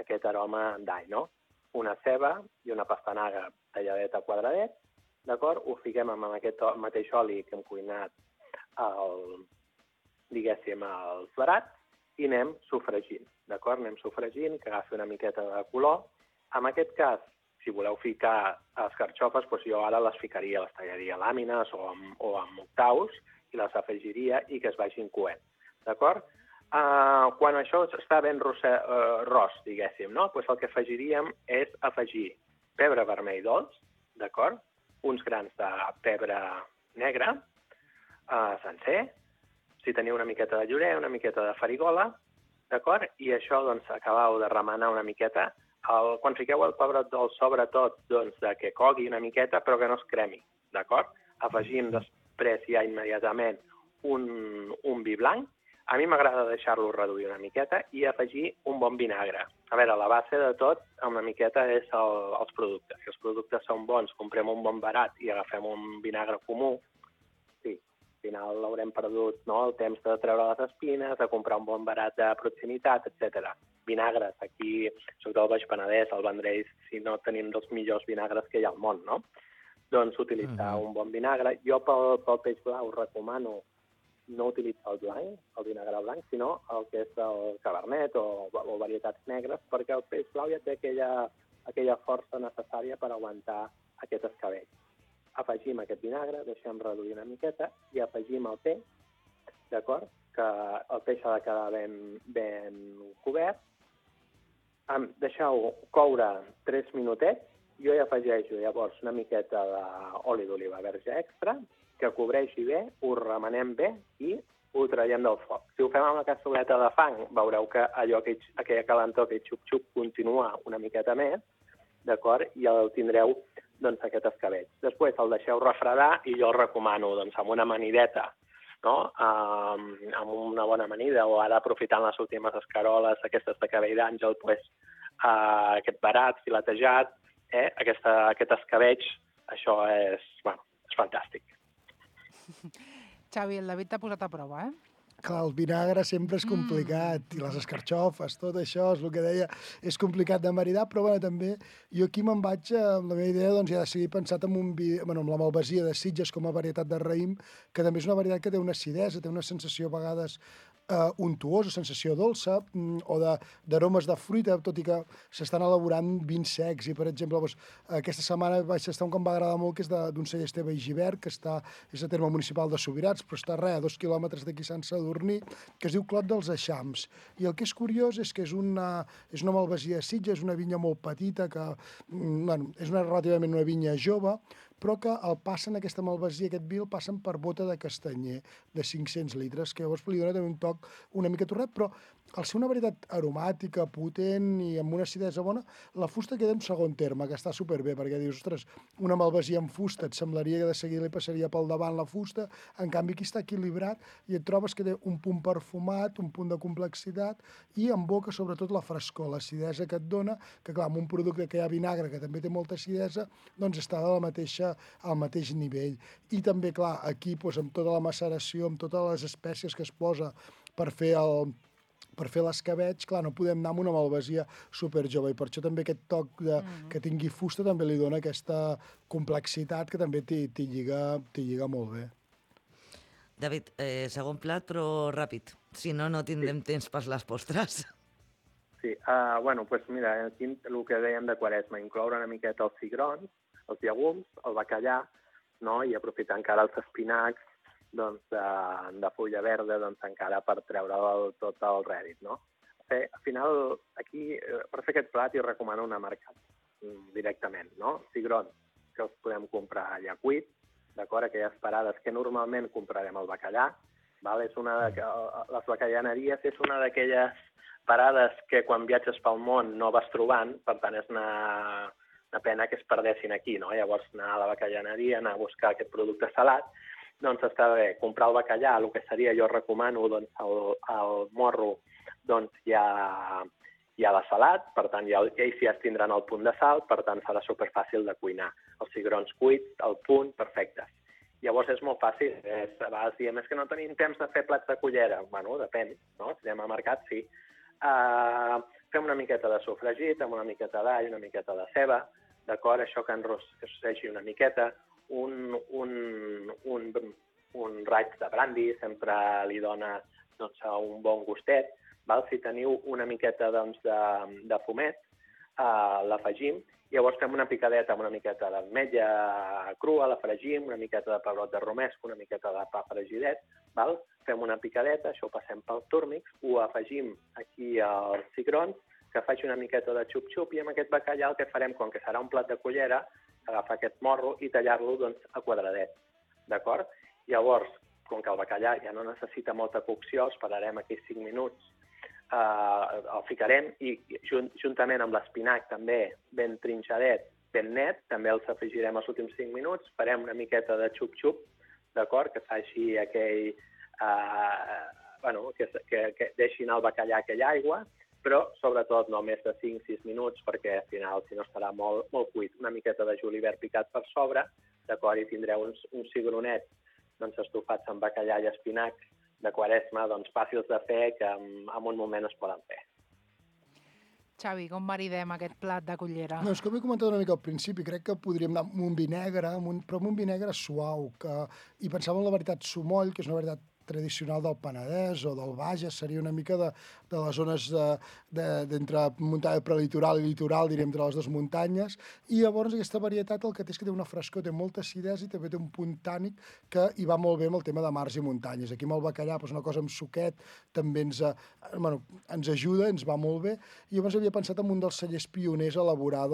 aquest aroma d'all, Una ceba i una pastanaga talladeta a quadradets, d'acord? Ho fiquem amb aquest mateix oli que hem cuinat diguéssim, els barats i anem sofregint, d'acord? Anem sofregint, que agafi una miqueta de color. En aquest cas, si voleu ficar escarxofes, doncs jo ara les ficaria, les tallaria a làmines o amb octaus i les afegiria i que es vagin coent, d'acord? Quan això està ben ros, diguéssim, no? Doncs el que afegiríem és afegir pebre vermell dolç, d'acord? Uns grans de pebre negre, sencer, si teniu una miqueta de llorer, una miqueta de farigola, d'acord? I això, doncs, acabeu de remenar una miqueta. Quan fiqueu el pebrot dolç, sobretot, doncs, que cogui una miqueta, però que no es cremi, d'acord? Afegim després ja immediatament un vi blanc. A mi m'agrada deixar-lo reduir una miqueta i afegir un bon vinagre. A veure, la base de tot, una miqueta, és els productes. Si els productes són bons, comprem un bon barat i agafem un vinagre comú, sí, al final haurem perdut, no?, el temps de treure les espines, de comprar un bon barat de proximitat, etc. Vinagres, aquí, sobretot al Baix Penedès, al Vendrell, si no tenim dels millors vinagres que hi ha al món, no? Doncs utilitzar un bon vinagre. Jo pel peix blau recomano no utilitzar el blanc, el vinagre blanc, sinó el que és el cabernet o varietats negres, perquè el peix blau ja té aquella força necessària per aguantar aquest escabell. Afegim aquest vinagre, deixem reduir una miqueta i afegim el peix, d'acord? Que el peix ha de quedar ben cobert. Deixeu coure 3 minutets. Jo hi afegeixo llavors una miqueta d'oli d'oliva verge extra, que cobreixi bé, ho remenem bé i ho traiem del foc. Si ho fem amb la cassoleta de fang, veureu que aquella calentor, aquell xup-xup, continua una miqueta més, d'acord? I el tindreu, doncs, aquest escabell. Després el deixeu refredar i jo el recomano, doncs, amb una amanideta, no? Amb una bona amanida, o ara aprofitant les últimes escaroles, aquestes de cabell d'àngel, doncs, aquest barat filetejat, aquest escabell, això és fantàstic. Xavi, el David t'ha posat a prova, Clar, el vinagre sempre és complicat, i les escarxofes, tot això, és el que deia, és complicat de maridar, però bueno, també jo aquí me'n vaig, amb la meva idea, doncs ja de seguir pensat amb la malvasia de Sitges com a varietat de raïm, que també és una varietat que té una acidesa, té una sensació a vegades untuosa, sensació dolça, o d'aromes de fruita, tot i que s'estan elaborant vins secs. I, per exemple, doncs, aquesta setmana vaig estar un que em va agradar molt, que és d'un celler Esteve i Givert, que és a terme municipal de Subirats, però està a 2 quilòmetres d'aquí Sant Sadurní, que es diu Clot dels Eixams. I el que és curiós és que és una malvasia de Sitges, és una vinya molt petita, que és relativament una vinya jove, però que el passen, aquesta malvasia, aquest vi, el passen per bota de castanyer de 500 litres, que llavors li dona també un toc una mica torrat, però al ser una varietat aromàtica, potent i amb una acidesa bona, la fusta queda en segon terme, que està superbé, perquè dius, ostres, una malvasia amb fusta, et semblaria que de seguida li passaria pel davant la fusta, en canvi aquí està equilibrat i et trobes que té un punt perfumat, un punt de complexitat i en boca sobretot la frescor, l'acidesa que et dona, que clar, amb un producte que hi ha vinagre, que també té molta acidesa, doncs està al mateix nivell. I també, clar, aquí, doncs, amb tota la maceració, amb totes les espècies que es posa per fer l'escabetx, clar, no podem anar amb una malvasia superjove, i per això també aquest toc que tingui fusta també li dona aquesta complexitat que també t'hi lliga molt bé. David, segon plat, però ràpid. Si no, no tindrem temps per les postres. Sí, doncs mira, aquí el que dèiem de Quaresma, incloure una miqueta els cigrons, els llegums, el bacallà, no? I aprofitar encara els espinacs, doncs, de fulla verda, doncs, encara per treure tot el rèdit, no? Al final, aquí, per fer aquest plat, jo recomano una marca directament, no? Cigrons, que els podem comprar ja cuit, d'acord? Aquelles parades que normalment comprarem al bacallà, val? Les bacallaneries és una d'aquelles parades que quan viatges pel món no vas trobant, per tant és una pena que es perdessin aquí, no? Llavors anar a la bacallaneria, anar a buscar aquest producte salat, doncs està bé, comprar el bacallà, el que seria, jo recomano, doncs, el morro, doncs ja la salat, per tant, ells ja es tindran el punt de sal, per tant, serà superfàcil de cuinar. Els cigrons cuits, el punt, perfectes. Llavors és molt fàcil, a vegades diem, és que no tenim temps de fer plats de cullera. Bueno, depèn, no? Si anem al mercat, sí. Fem una miqueta de sofregit, amb una miqueta d'all, una miqueta de ceba, d'acord? Això que enrosseixi una miqueta, un raig de brandi sempre li dona doncs, un bon gustet. Val? Si teniu una miqueta doncs, de fumet, l'afegim. Llavors fem una picadeta amb una miqueta d'ametlla crua, la fregim, una miqueta de pebrot de romesco, una miqueta de pa fregidet. Val? Fem una picadeta, això ho passem pel túrmix, ho afegim aquí als cigrons, que faci una miqueta de xup-xup, i amb aquest bacallà el que farem, com que serà un plat de cullera, agafar aquest morro i tallar-lo doncs, a quadradets. D'acord? Llavors, com que el bacallà ja no necessita molta cocció, esperarem aquí 5 minuts, el ficarem i juntament amb l'espinac també ben trinxadet, ben net, també els afegirem els últims 5 minuts, farem una miqueta de xup-xup, d'acord, que faci aquell... que deixi anar el bacallà aquella aigua, però sobretot no més de 5-6 minuts, perquè al final, si no, estarà molt cuit. Una miqueta de julivert picat per sobre, d'acord, i tindreu uns cigronets doncs, estofats amb bacallà i espinac de Quaresma, doncs fàcils de fer, que en un moment es poden fer. Xavi, com maridem aquest plat de cullera? No, és com he comentat una mica al principi, crec que podríem anar amb un vi negre, però amb un vi negre suau, i pensava en la varietat Sumoll, que és una varietat tradicional del Penedès o del Bages, seria una mica de les zones d'entre muntanya prelitoral i litoral, diríem, entre les dues muntanyes, i llavors aquesta varietat el que té és que té una frescor, té molta acidesa i també té un punt tànic que hi va molt bé amb el tema de mars i muntanyes. Aquí amb el bacallà, doncs una cosa amb suquet, també ens ajuda, ens va molt bé, i llavors havia pensat en un dels cellers pioners a elaborar,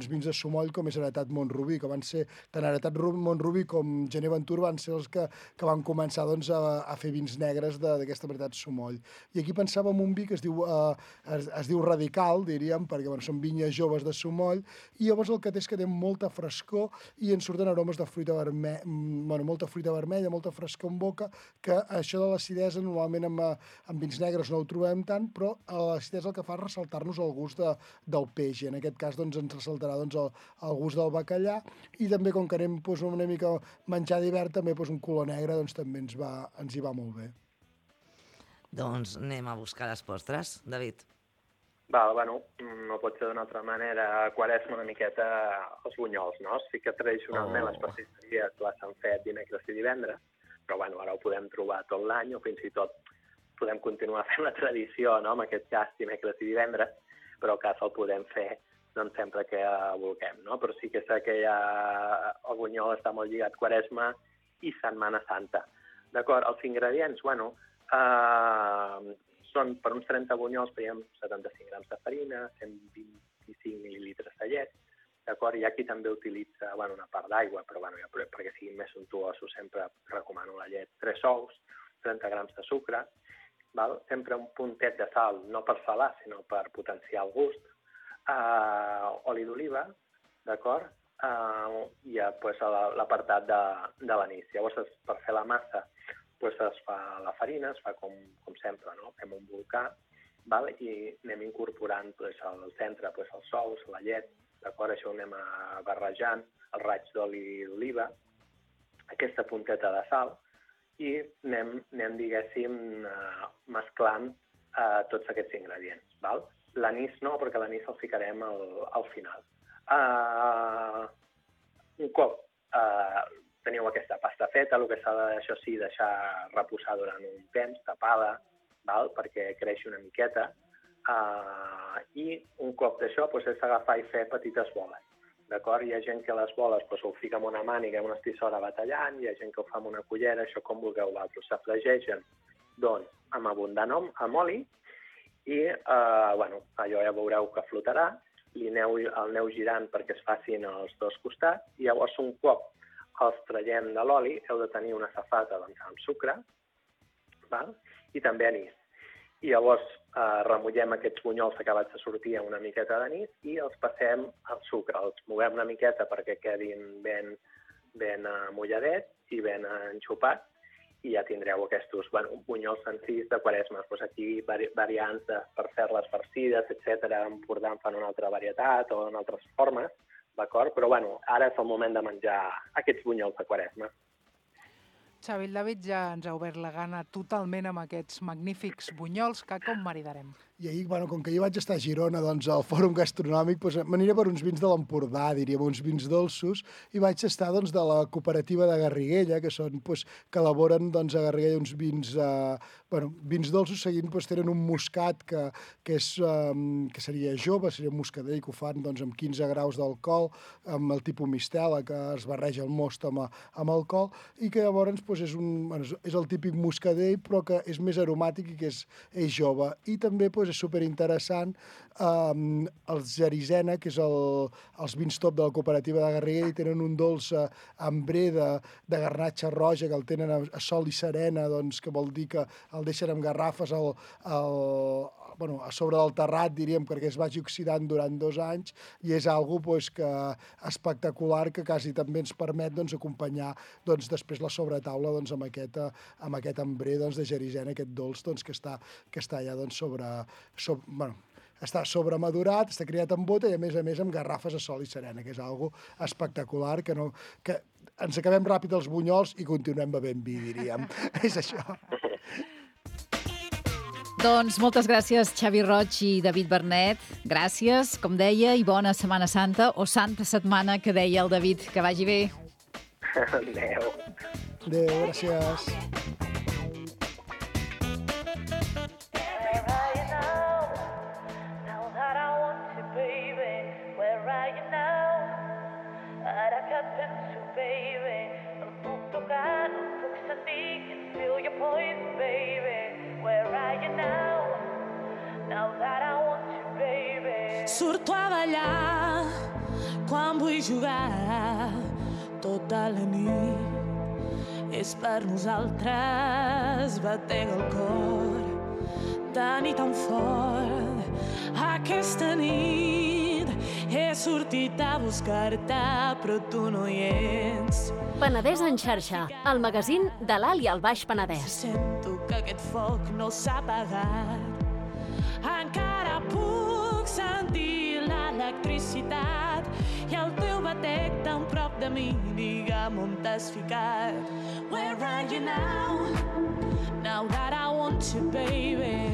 vins de Sumoll com és Heretat Montrubí, que van ser, tant Heretat Montrubí com Gener Ventura van ser els que van començar a fer vins negres d'aquesta varietat Sumoll. I aquí pensava en un vi que es diu Radical, diríem, perquè són vinyes joves de Sumoll, i llavors el que té és que té molta frescor i en surten aromes de fruita vermella, molta fruita vermella, molta frescor en boca, que això de l'acidesa normalment amb vins negres no ho trobem tant, però l'acidesa el que fa és ressaltar-nos el gust del peix, i en aquest cas ens ressaltarà el gust del bacallà, i també com que anem una mica menjar d'hivern, també un color negre també ens hi va molt bé. Doncs anem a buscar les postres, David. No pot ser d'una altra manera. Quaresma una miqueta els bunyols, no? Sí que tradicionalment les pastisseries les han fet dimecres i divendres, però ara ho podem trobar tot l'any, o fins i tot podem continuar fent la tradició, no? En aquest cas dimecres i divendres, però el cas el podem fer doncs sempre que vulguem, no? Però sí que sé que el bunyol està molt lligat Quaresma i Setmana Santa. D'acord, els ingredients, són per uns 30 bunyols, veiem 75 grams de farina, 125 mil·lilitres de llet, d'acord? Hi ha qui també utilitza una part d'aigua, però perquè siguin més sumptuosos sempre recomano la llet. 3 ous, 30 grams de sucre, sempre un puntet de sal, no per salar, sinó per potenciar el gust, oli d'oliva, d'acord? I l'apartat de l'anís. Llavors, per fer la massa, es fa la farina, es fa com sempre, no? Fem un volcà, i anem incorporant al centre els ous, la llet, d'acord? Això ho anem barrejant, el raig d'oli d'oliva, aquesta punteta de sal, i anem diguéssim, mesclant tots aquests ingredients. L'anís no, perquè l'anís el ficarem al final. Un cop teniu aquesta pasta feta, el que s'ha de, això sí, deixar reposar durant un temps, tapada, perquè creixi una miqueta, i un cop d'això és agafar i fer petites boles. D'acord? Hi ha gent que les boles ho fica amb una màniga, amb una estissora batallant, hi ha gent que ho fa amb una cullera, això com vulgueu vosaltres. S'afregeixen amb abundant amb oli, i allò ja veureu que flotarà, el aneu girant perquè es facin els dos costats, i llavors un cop els traiem de l'oli heu de tenir una safata amb sucre, i també anís. I llavors remullem aquests bunyols acabats de sortir amb una miqueta d'anís i els passem al sucre. Els movem una miqueta perquè quedin ben mulladets i ben enxupats, i ja tindreu aquests bunyols senzills de Quaresma. Aquí variants per fer-les farcides, etc. En Empordà en fan una altra varietat o en altres formes, d'acord? Però ara és el moment de menjar aquests bunyols de Quaresma. Xavi, el David ja ens ha obert la gana totalment amb aquests magnífics bunyols, que com maridarem? I ahir, com que jo vaig estar a Girona, doncs, al Fòrum Gastronòmic, m'aniré per uns vins de l'Empordà, diríem, uns vins dolços, i vaig estar, doncs, de la cooperativa de Garriguella, que són, que elaboren, doncs, a Garriguella uns vins, vins dolços, seguint, tenen un moscat que seria jove, seria un moscadell, que ho fan, doncs, amb 15 graus d'alcohol, amb el tipus mistela, que es barreja el most amb alcohol, i que llavors és el típic moscadell, però que és més aromàtic i que és jove. I també, és superinteressant els Gerisena, que és els vins top de la cooperativa de Garriguella, i tenen un dolç ambré de garnatxa roja, que el tenen a sol i serena, doncs, que vol dir que el deixen amb garrafes a sobre del terrat, diríem, perquè es vagi oxidant durant 2 anys, i és algo espectacular que quasi també ens permet acompanyar després la sobretaula amb aquest ambré de Gerisena, aquest dolç que està ja està sobremadurat, està criat en bota i, a més amb garrafes a sol i serena, que és algo espectacular, que ens acabem ràpid els bunyols i continuem bevent vi, diríem. És això. Doncs moltes gràcies, Xavi Roig i David Bernet. Gràcies, com deia, i bona Setmana Santa, o Santa Setmana, que deia el David. Que vagi bé. Adéu. Adéu, gràcies. Surto a ballar quan vull jugar tota la nit. És per nosaltres batent el cor tan i tan fort. Aquesta nit he sortit a buscar-te, però tu no hi ets. Penedès en xarxa, el magazín de l'Alt i el Baix Penedès. Sento que aquest foc no s'ha apagat. Encara puc sentir l'electricitat i el teu batec tan prop de mi. Digue'm on t'has ficat. Where are you now? Now that I want you, baby.